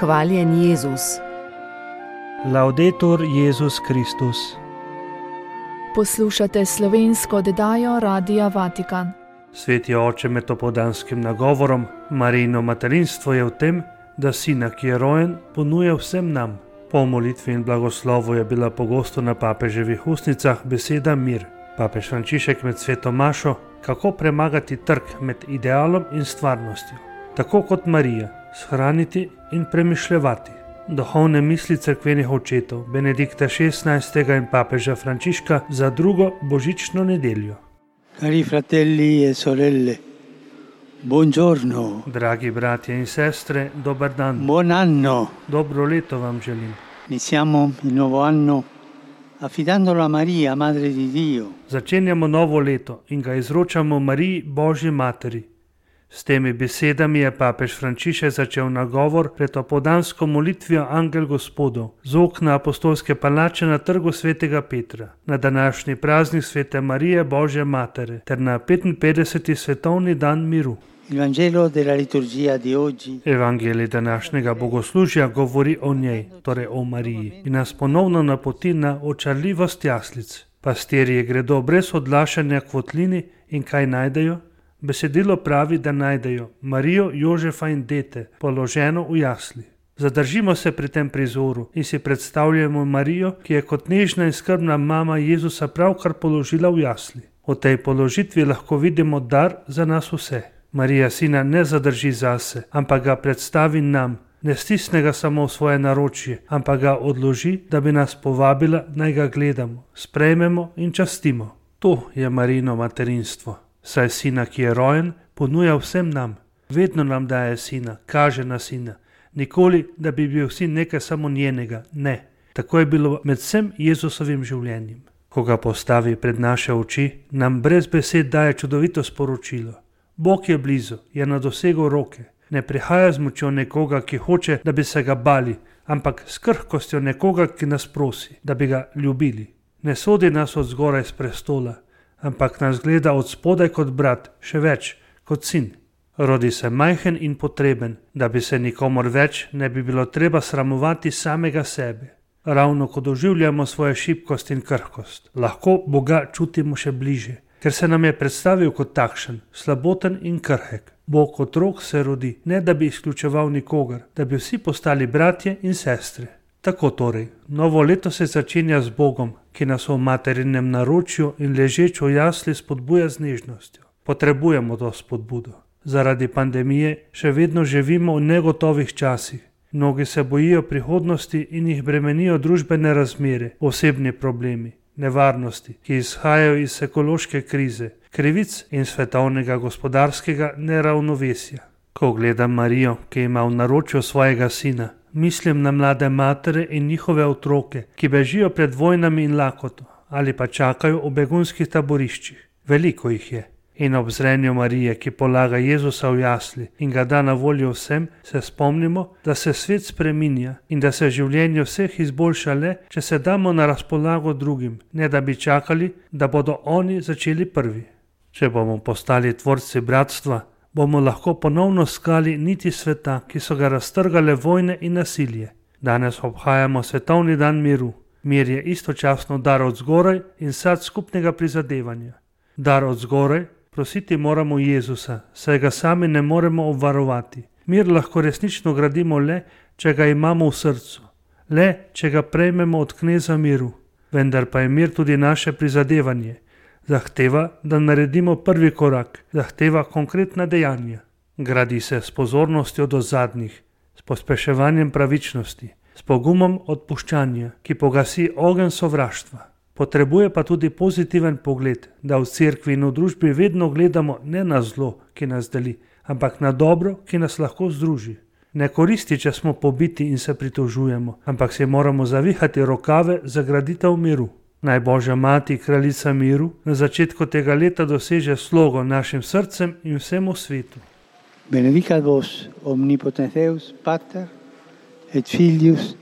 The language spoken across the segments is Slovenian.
Hvaljen Jezus. Laudetur Jezus Kristus. Poslušate slovensko oddajo Radia Vatikan. Sveti oče med opoldanskim nagovorom, Marijino materinstvo je v tem, da sina, ki je rojen, ponuja vsem nam. Po molitvi in blagoslovu je bila pogosto na papeževih ustnicah beseda mir. Papež Frančišek med sveto mašo, kako premagati trk med idealom in stvarnostjo. Tako kot Marija, shraniti in premišljevati. Duhovne misli cerkvenih očetov Benedikta XVI. In papeža Frančiška za drugo božično nedeljo. Cari fratelli e sorelle, buongiorno. Dragi bratje in sestre, dober dan. Buon anno. Dobro leto vam želim. Iniziamo il nuovo anno affidandolo a Maria, Madre di Dio. Začenjamo novo leto in ga izročamo Mariji, Božji materi. S temi besedami je papež Frančišek začel nagovor pred opoldansko molitvijo Angel Gospodov z okna apostolske palače na trgu svetega Petra, na današnji praznik svete Marije, Božje matere, ter na 55. svetovni dan miru. Il Vangelo della liturgia di oggi Evangelij današnjega bogoslužja govori o njej, torej o Mariji, in nas ponovno napoti na očarljivost jaslic. Pastirji gredo brez odlašanja k votlini in kaj najdejo? Besedilo pravi, da najdejo Marijo, Jožefa in dete, položeno v jasli. Zadržimo se pri tem prizoru in si predstavljamo Marijo, ki je kot nežna in skrbna mama Jezusa pravkar položila v jasli. V tej položitvi lahko vidimo dar za nas vse. Marija sina ne zadrži zase, ampak ga predstavi nam, ne stisne ga samo v svoje naročje, ampak ga odloži, da bi nas povabila, naj ga gledamo, sprejmemo in častimo. To je Marijino materinstvo. Saj sina, ki je rojen, ponuja vsem nam. Vedno nam daje sina, kaže na sina. Nikoli, da bi bil sin nekaj samo njenega. Ne. Tako je bilo med vsem Jezusovim življenjem. Ko ga postavi pred naše oči, nam brez besed daje čudovito sporočilo. Bog je blizu, je na dosegu roke. Ne prihaja z močjo nekoga, ki hoče, da bi se ga bali, ampak s krhkostjo nekoga, ki nas prosi, da bi ga ljubili. Ne sodi nas od zgoraj s prestola, ampak nas gleda od spodaj kot brat, še več, kot sin. Rodi se majhen in potreben, da bi se nikomor več ne bi bilo treba sramovati samega sebe. Ravno ko doživljamo svojo šibkost in krhkost, lahko Boga čutimo še bliže, ker se nam je predstavil kot takšen, slaboten in krhek. Bog kot otrok se rodi, ne da bi izključeval nikogar, da bi vsi postali bratje in sestre. Tako torej, novo leto se začenja z Bogom, ki nas v materinem naročju in ležeč v jasli spodbuja z nežnostjo. Potrebujemo to spodbudo. Zaradi pandemije še vedno živimo v negotovih časih. Mnogi se bojijo prihodnosti in jih bremenijo družbene razmere, osebni problemi, nevarnosti, ki izhajajo iz ekološke krize, krivic in svetovnega gospodarskega neravnovesja. Ko gledam Marijo, ki ima v naročju svojega sina, mislim na mlade matere in njihove otroke, ki bežijo pred vojnami in lakoto ali pa čakajo v begunskih taboriščih. Veliko jih je. In ob zrenju Marije, ki polaga Jezusa v jasli in ga da na voljo vsem, se spomnimo, da se svet spreminja in da se življenje vseh izboljša le, če se damo na razpolago drugim, ne da bi čakali, da bodo oni začeli prvi. Če bomo postali tvorci bratstva, bomo lahko ponovno skali niti sveta, ki so ga raztrgale vojne in nasilje. Danes obhajamo svetovni dan miru. Mir je istočasno dar od zgoraj in sad skupnega prizadevanja. Dar od zgoraj, prositi moramo Jezusa, saj ga sami ne moremo obvarovati. Mir lahko resnično gradimo le, če ga imamo v srcu. Le, če ga prejmemo od kneza miru. Vendar pa je mir tudi naše prizadevanje. Zahteva, da naredimo prvi korak, zahteva konkretna dejanja. Gradi se s pozornostjo do zadnjih, s pospeševanjem pravičnosti, s pogumom odpuščanja, ki pogasi ogenj sovraštva. Potrebuje pa tudi pozitiven pogled, da v cerkvi in v družbi vedno gledamo ne na zlo, ki nas deli, ampak na dobro, ki nas lahko združi. Ne koristi, če smo pobiti in se pritožujemo, ampak si moramo zavihati rokave za graditev miru. Naj Božja mati, kraljica miru, na začetku tega leta doseže slogo našim srcem in vsemu svetu. Benedicat vos omnipotens Deus, Pater et Filius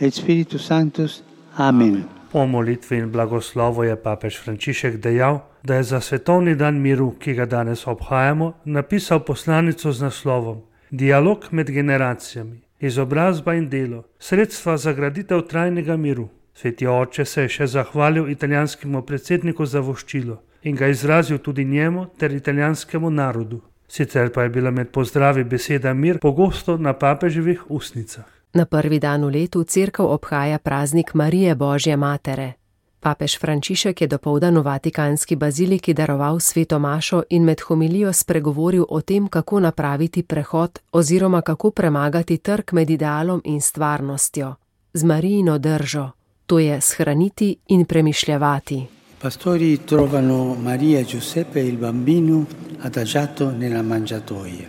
et Spiritus Sanctus. Amen. Po molitvi in blagoslovu je papež Frančišek dejal, da je za svetovni dan miru, ki ga danes obhajamo, napisal poslanico z naslovom Dialog med generacijami. izobrazba in delo, sredstva za graditev trajnega miru. Sveti oče se je še zahvalil italijanskemu predsedniku za voščilo in ga izrazil tudi njemu ter italijanskemu narodu. Sicer pa je bila med pozdravi beseda mir pogosto na papeževih ustnicah. Na prvi dan v letu cerkev obhaja praznik Marije Božje matere. Papež Frančišek je dopoldan v Vatikanski baziliki daroval sveto mašo in med homilijo spregovoril o tem, kako napraviti prehod oziroma kako premagati trk med idealom in stvarnostjo, z Marijino držo, to je shraniti in premišljevati. Pastori trovano Maria e Giuseppe il bambino adagiato nella mangiatoia.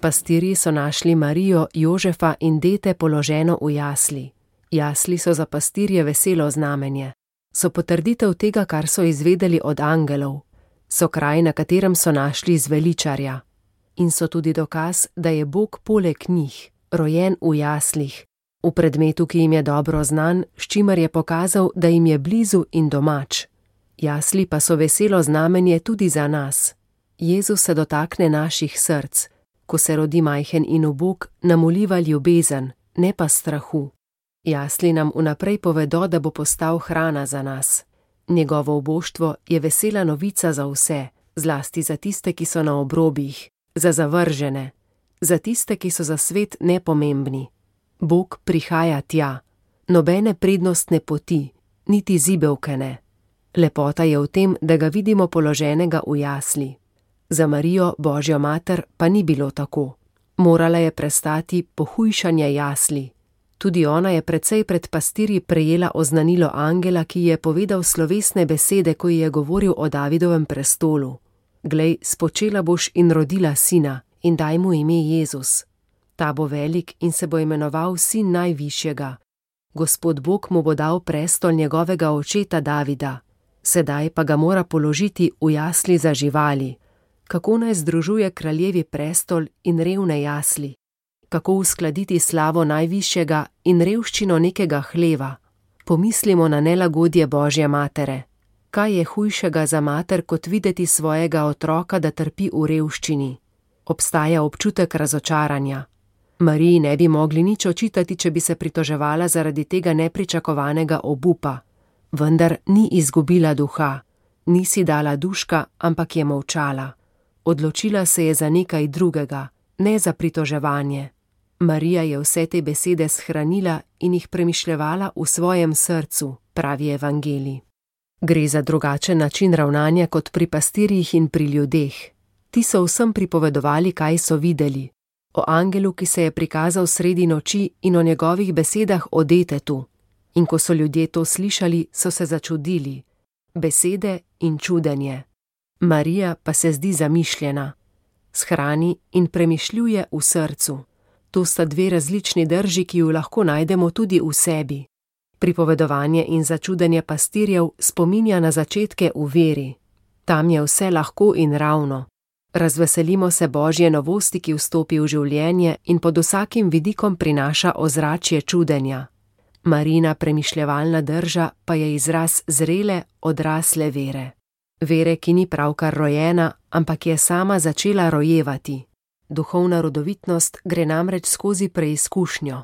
Pastirji so našli Marijo, Jožefa in dete položeno v jasli. Jasli so za pastirje veselo znamenje. So potrditev tega, kar so izvedeli od angelov. So kraj, na katerem so našli zveličarja. In so tudi dokaz, da je Bog poleg njih, rojen v jaslih, v predmetu, ki jim je dobro znan, s čimer je pokazal, da jim je blizu in domač. Jasli pa so veselo znamenje tudi za nas. Jezus se dotakne naših src. Ko se rodi majhen in ubog, nam vliva ljubezen, ne pa strahu. Jasli nam vnaprej povedo, da bo postal hrana za nas. Njegovo uboštvo je vesela novica za vse, zlasti za tiste, ki so na obrobjih, za zavržene, za tiste, ki so za svet nepomembni. Bog prihaja tja, nobene prednostne poti, niti zibelke ne. Lepota je v tem, da ga vidimo položenega v jasli. Za Marijo, Božjo mater, pa ni bilo tako. Morala je prestati pohujšanje jasli. Tudi ona je precej pred pastirji prejela oznanilo angela, ki je povedal slovesne besede, ko ji je govoril o Davidovem prestolu. Glej, spočela boš in rodila sina, in daj mu ime Jezus. Ta bo velik in se bo imenoval sin najvišjega. Gospod Bog mu bo dal prestol njegovega očeta Davida. Sedaj pa ga mora položiti v jasli za živali. Kako naj združuje kraljevi prestol in revne jasli? Kako uskladiti slavo najvišjega in revščino nekega hleva? Pomislimo na nelagodje Božje matere. Kaj je hujšega za mater, kot videti svojega otroka, da trpi v revščini? Obstaja občutek razočaranja. Mariji ne bi mogli nič očitati, če bi se pritoževala zaradi tega nepričakovanega obupa. Vendar ni izgubila duha. Ni si dala duška, ampak je molčala. Odločila se je za nekaj drugega, ne za pritoževanje. Marija je vse te besede shranila in jih premišljevala v svojem srcu, pravi evangelij. Gre za drugačen način ravnanja kot pri pastirjih in pri ljudeh. Ti so vsem pripovedovali, kaj so videli. O angelu, ki se je prikazal sredi noči, in o njegovih besedah o detetu. In ko so ljudje to slišali, so se začudili. Besede in čudenje. Marija pa se zdi zamišljena. Shrani in premišljuje v srcu. To sta dve različni drži, ki ju lahko najdemo tudi v sebi. Pripovedovanje in začudenje pastirjev spominja na začetke v veri. Tam je vse lahko in ravno. Razveselimo se Božje novosti, ki vstopi v življenje in pod vsakim vidikom prinaša ozračje čudenja. Marijina premišljevalna drža pa je izraz zrele, odrasle vere. Vere, ki ni pravkar rojena, ampak je sama začela rojevati. Duhovna rodovitnost gre namreč skozi preizkušnjo.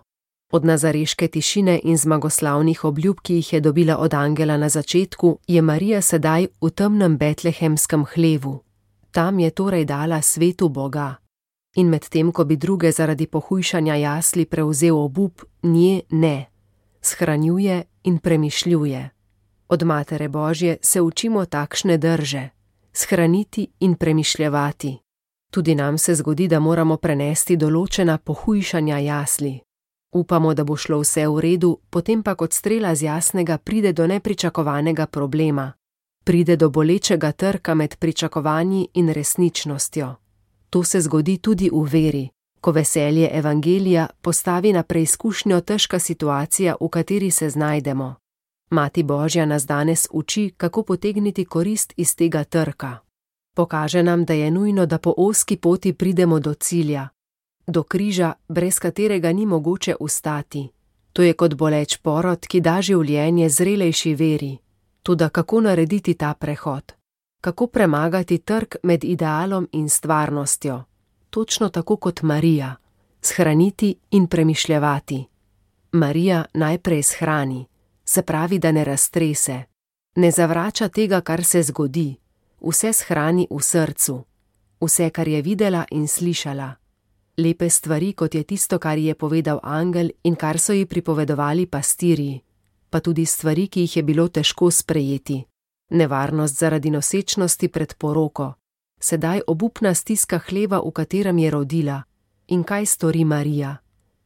Od nazareške tišine in zmagoslavnih obljub, ki jih je dobila od angela na začetku, je Marija sedaj v temnem betlehemskem hlevu. Tam je torej dala svetu Boga. In medtem, ko bi druge zaradi pohujšanja jasli prevzel obup, nje ne. Shranjuje in premišljuje. Od Matere Božje se učimo takšne drže. Shraniti in premišljevati. Tudi nam se zgodi, da moramo prenesti določena pohujšanja jasli. Upamo, da bo šlo vse v redu, potem pa kot strela z jasnega pride do nepričakovanega problema. Pride do bolečega trka med pričakovanji in resničnostjo. To se zgodi tudi v veri, ko veselje evangelija postavi na preizkušnjo težka situacija, v kateri se znajdemo. Mati Božja nas danes uči, kako potegniti korist iz tega trka. Pokaže nam, da je nujno, da po ozki poti pridemo do cilja, do križa, brez katerega ni mogoče ustati. To je kot boleč porod, ki da življenje zrelejši veri. Toda kako narediti ta prehod? Kako premagati trk med idealom in stvarnostjo? Točno tako kot Marija. Shraniti in premišljevati. Marija najprej shrani, se pravi, da ne raztrese. Ne zavrača tega, kar se zgodi. Vse shrani v srcu. Vse, kar je videla in slišala. Lepe stvari, kot je tisto, kar ji je povedal angel in kar so ji pripovedovali pastirji. Pa tudi stvari, ki jih je bilo težko sprejeti. Nevarnost zaradi nosečnosti pred poroko. Sedaj obupna stiska hleva, v katerem je rodila. In kaj stori Marija?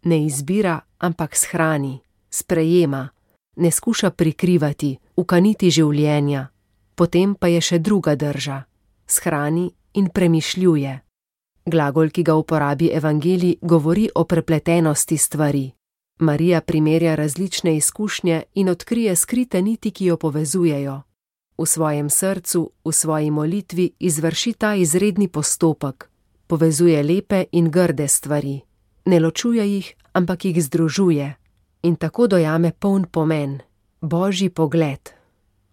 Ne izbira, ampak shrani, sprejema, ne skuša prikrivati, ukaniti življenja. Potem pa je še druga drža. Shrani in premišljuje. Glagol, ki ga uporabi evangelij, govori o prepletenosti stvari. Marija primerja različne izkušnje in odkrije skrite niti, ki jo povezujejo. V svojem srcu, v svoji molitvi izvrši ta izredni postopek. Povezuje lepe in grde stvari. Ne ločuje jih, ampak jih združuje. In tako dojame poln pomen. Božji pogled.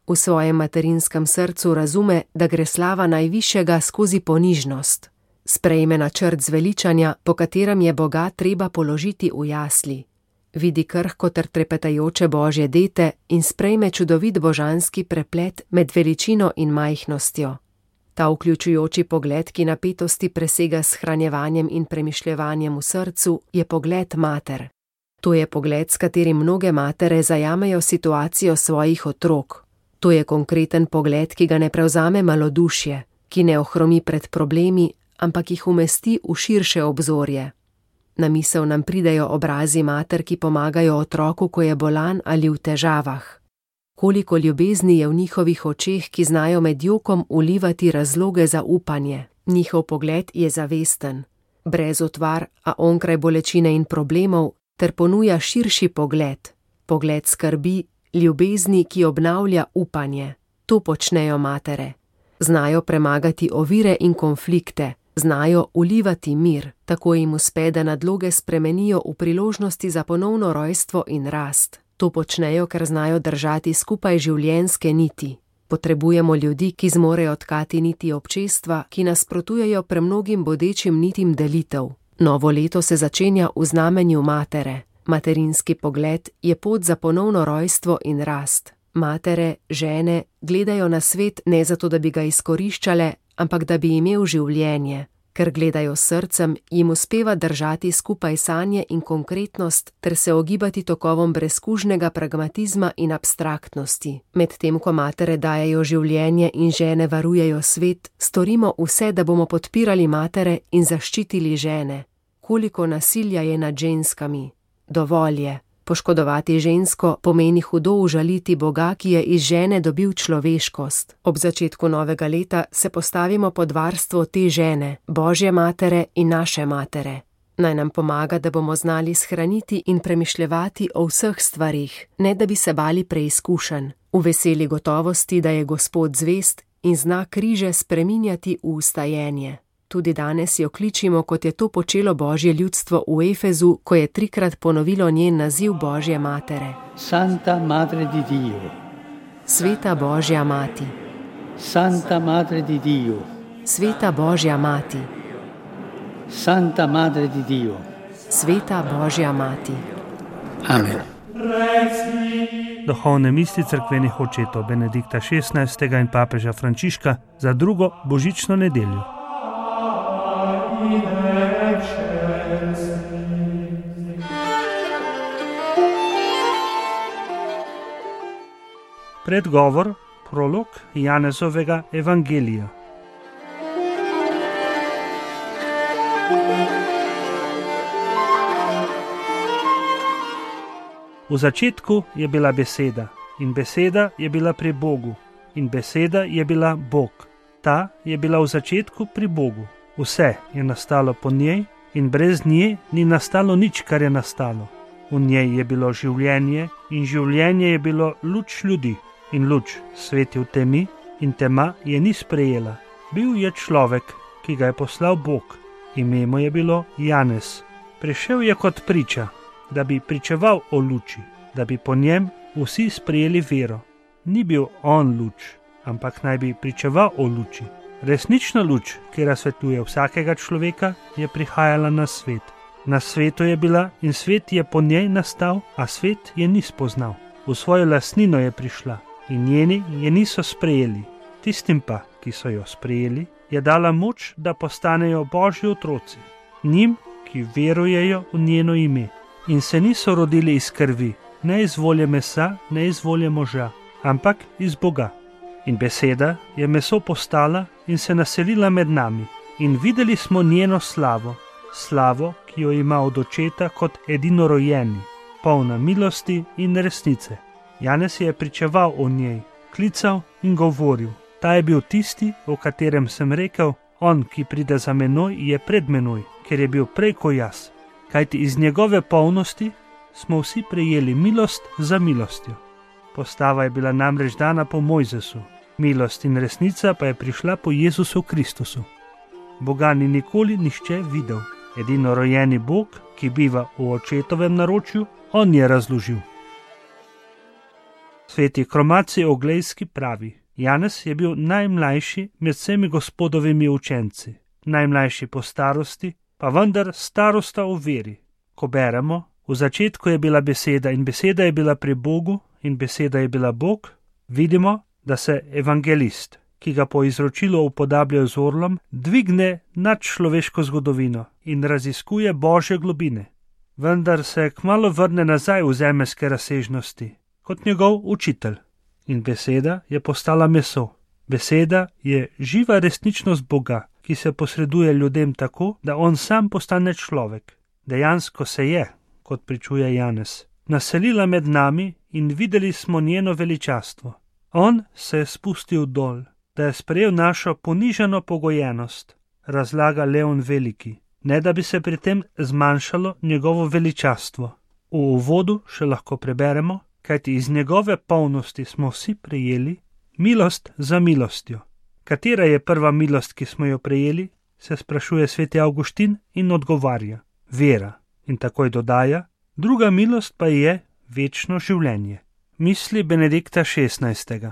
V svojem materinskem srcu razume, da gre slava najvišjega skozi ponižnost. Sprejme načrt zveličanja, po katerem je Boga treba položiti v jasli. Vidi krhko ter trepetajoče Božje dete in sprejme čudovit božanski preplet med veličino in majhnostjo. Ta vključujoči pogled, ki napetosti presega s shranjevanjem in premišljevanjem v srcu, je pogled mater. To je pogled, s katerim mnoge matere zajamejo situacijo svojih otrok. To je konkreten pogled, ki ga ne prevzame malodušje, ki ne ohromi pred problemi, ampak jih umesti v širše obzorje. Na misel nam pridejo obrazi mater, ki pomagajo otroku, ko je bolan ali v težavah. Koliko ljubezni je v njihovih očeh, ki znajo med jokom ulivati razloge za upanje. Njihov pogled je zavesten, brez utvar, a onkraj bolečine in problemov, ter ponuja širši pogled. Pogled skrbi, ljubezni, ki obnavlja upanje. To počnejo matere. Znajo premagati ovire in konflikte. Znajo ulivati mir, tako jim uspe, da nadloge spremenijo v priložnosti za ponovno rojstvo in rast. To počnejo, ker znajo držati skupaj življenjske niti. Potrebujemo ljudi, ki zmorejo tkati niti občestva, ki nasprotujejo premnogim bodečim nitim delitev. Novo leto se začenja v znamenju matere. Materinski pogled je pot za ponovno rojstvo in rast. Matere, žene, gledajo na svet ne zato, da bi ga izkoriščale, ampak da bi imel življenje. Ker gledajo srcem, jim uspeva držati skupaj sanje in konkretnost ter se ogibati tokovom brezkužnega pragmatizma in abstraktnosti. Medtem ko matere dajejo življenje in žene varujejo svet, storimo vse, da bomo podpirali matere in zaščitili žene. Koliko nasilja je nad ženskami? Dovolj je. Poškodovati žensko pomeni hudo užaliti Boga, ki je iz žene dobil človeškost. Ob začetku novega leta se postavimo pod varstvo te žene, Božje matere in naše matere. Naj nam pomaga, da bomo znali shraniti in premišljevati o vseh stvarih, ne da bi se bali preizkušenj, v veseli gotovosti, da je Gospod zvest in zna križe spreminjati v ustajenje. Tudi danes jo kličimo, kot je to počelo Božje ljudstvo v Efezu, ko je 3krat ponovilo njen naziv Božje matere. Santa Madre di Dio. Sveta Božja mati. Santa Madre di Dio. Sveta Božja mati. Santa Madre di Dio. Sveta Božja mati. Amen. Duhovne misli cerkvenih očetov Benedikta XVI. In papeža Frančiška za drugo božično nedeljo. Predgovor, prolog Janezovega evangelija. V začetku je bila beseda, in beseda je bila pri Bogu, in beseda je bila Bog. Ta je bila v začetku pri Bogu. Vse je nastalo po njej in brez nje ni nastalo nič, kar je nastalo. V njej je bilo življenje in življenje je bilo luč ljudi. In luč sveti v temi in tema je ni sprejela. Bil je človek, ki ga je poslal Bog. Ime mu je bilo Janez. Prišel je kot priča, da bi pričeval o luči, da bi po njem vsi sprejeli vero. Ni bil on luč, ampak naj bi pričeval o luči. Resnična luč, ki razsvetljuje vsakega človeka, je prihajala na svet. Na svetu je bila in svet je po njej nastal, a svet je ni spoznal. V svojo lastnino je prišla in njeni je niso sprejeli. Tistim pa, ki so jo sprejeli, je dala moč, da postanejo Božji otroci. Njim, ki verujejo v njeno ime in se niso rodili iz krvi, ne iz volje mesa, ne iz volje moža, ampak iz Boga. In beseda je meso postala in se naselila med nami in videli smo njeno slavo, slavo, ki jo ima od očeta kot edinorojeni, polna milosti in resnice. Janez je pričeval o njej, klical in govoril. Ta je bil tisti, o katerem sem rekel, on, ki pride za menoj, je pred menoj, ker je bil prej ko jaz. Kajti iz njegove polnosti smo vsi prejeli milost za milostjo. Postava je bila namreč dana po Mojzesu, milost in resnica pa je prišla po Jezusu Kristusu. Boga ni nikoli nihče videl. Edinorojeni Bog, ki biva v očetovem naročju, on je razložil. Sveti Kromaci Oglejski pravi: Janez je bil najmlajši med vsemi Gospodovimi učenci, najmlajši po starosti, pa vendar starosta v veri. Ko beremo, v začetku je bila beseda in beseda je bila pri Bogu in beseda je bila Bog, vidimo, da se evangelist, ki ga po izročilu upodabljajo z orlom, dvigne nad človeško zgodovino in raziskuje Božje globine. Vendar se kmalu vrne nazaj v zemeljske razsežnosti, kot njegov učitelj. In beseda je postala meso. Beseda je živa resničnost Boga, ki se posreduje ljudem tako, da on sam postane človek. Dejansko se je, kot pričuje Janez, naselila med nami in videli smo njeno veličastvo. On se je spustil dol, da je sprejel našo ponižano pogojenost, razlaga Leon Veliki, ne da bi se pri tem zmanjšalo njegovo veličastvo. V uvodu še lahko preberemo, kajti iz njegove polnosti smo vsi prejeli milost za milostjo. Katera je prva milost, ki smo jo prejeli, se sprašuje sveti Avguštin in odgovarja: vera. In takoj dodaja: druga milost pa je večno življenje. Misli Benedikta XVI.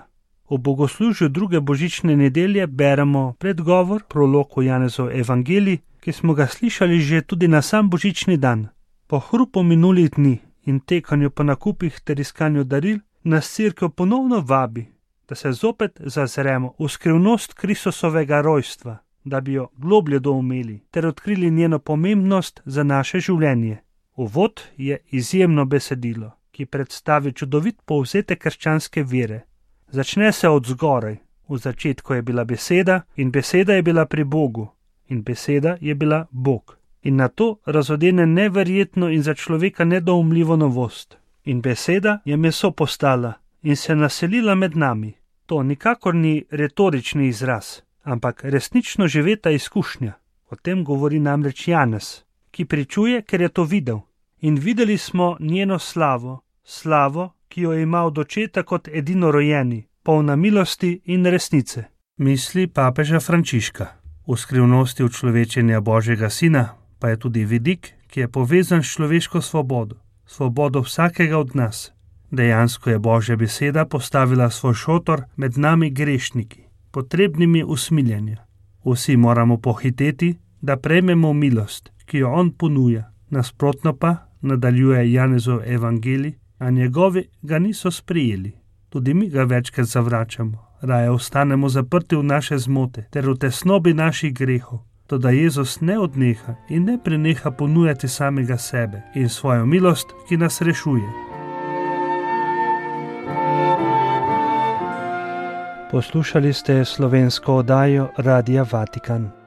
V bogoslužju druge božične nedelje beremo predgovor, prolog v Janezov evangelij, ki smo ga slišali že tudi na sam božični dan. Po hrupu minulih dni in tekanju po nakupih ter iskanju daril nas Cerkev ponovno vabi, da se zopet zazremo v skrivnost Kristusovega rojstva, da bi jo globlje doumeli ter odkrili njeno pomembnost za naše življenje. Uvod je izjemno besedilo, ki predstavi čudovit povzetek krščanske vere. Začne se od zgoraj. V začetku je bila beseda in beseda je bila pri Bogu in beseda je bila Bog. In na to razodene neverjetno in za človeka nedoumljivo novost. In beseda je meso postala in se naselila med nami. To nikakor ni retorični izraz, ampak resnično živeta izkušnja. O tem govori namreč Janez, ki pričuje, ker je to videl. In videli smo njeno slavo, slavo, ki jo ima od očeta kot edinorojeni, polna milosti in resnice. Misli papeža Frančiška. V skrivnosti učlovečenja Božjega sina pa je tudi vidik, ki je povezan s človeško svobodo, svobodo vsakega od nas. Dejansko je Božja beseda postavila svoj šotor med nami grešniki, potrebnimi usmiljenja. Vsi moramo pohiteti, da prejmemo milost, ki jo on ponuja. Nasprotno pa, nadaljuje Janezov evangelij, a njegovi ga niso sprejeli. Tudi mi ga večkrat zavračamo, raje ostanemo zaprti v naše zmote ter v tesnobi naših grehov. Toda Jezus ne odneha in ne preneha ponujati samega sebe in svojo milost, ki nas rešuje. Poslušali ste slovensko oddajo Radia Vatikan.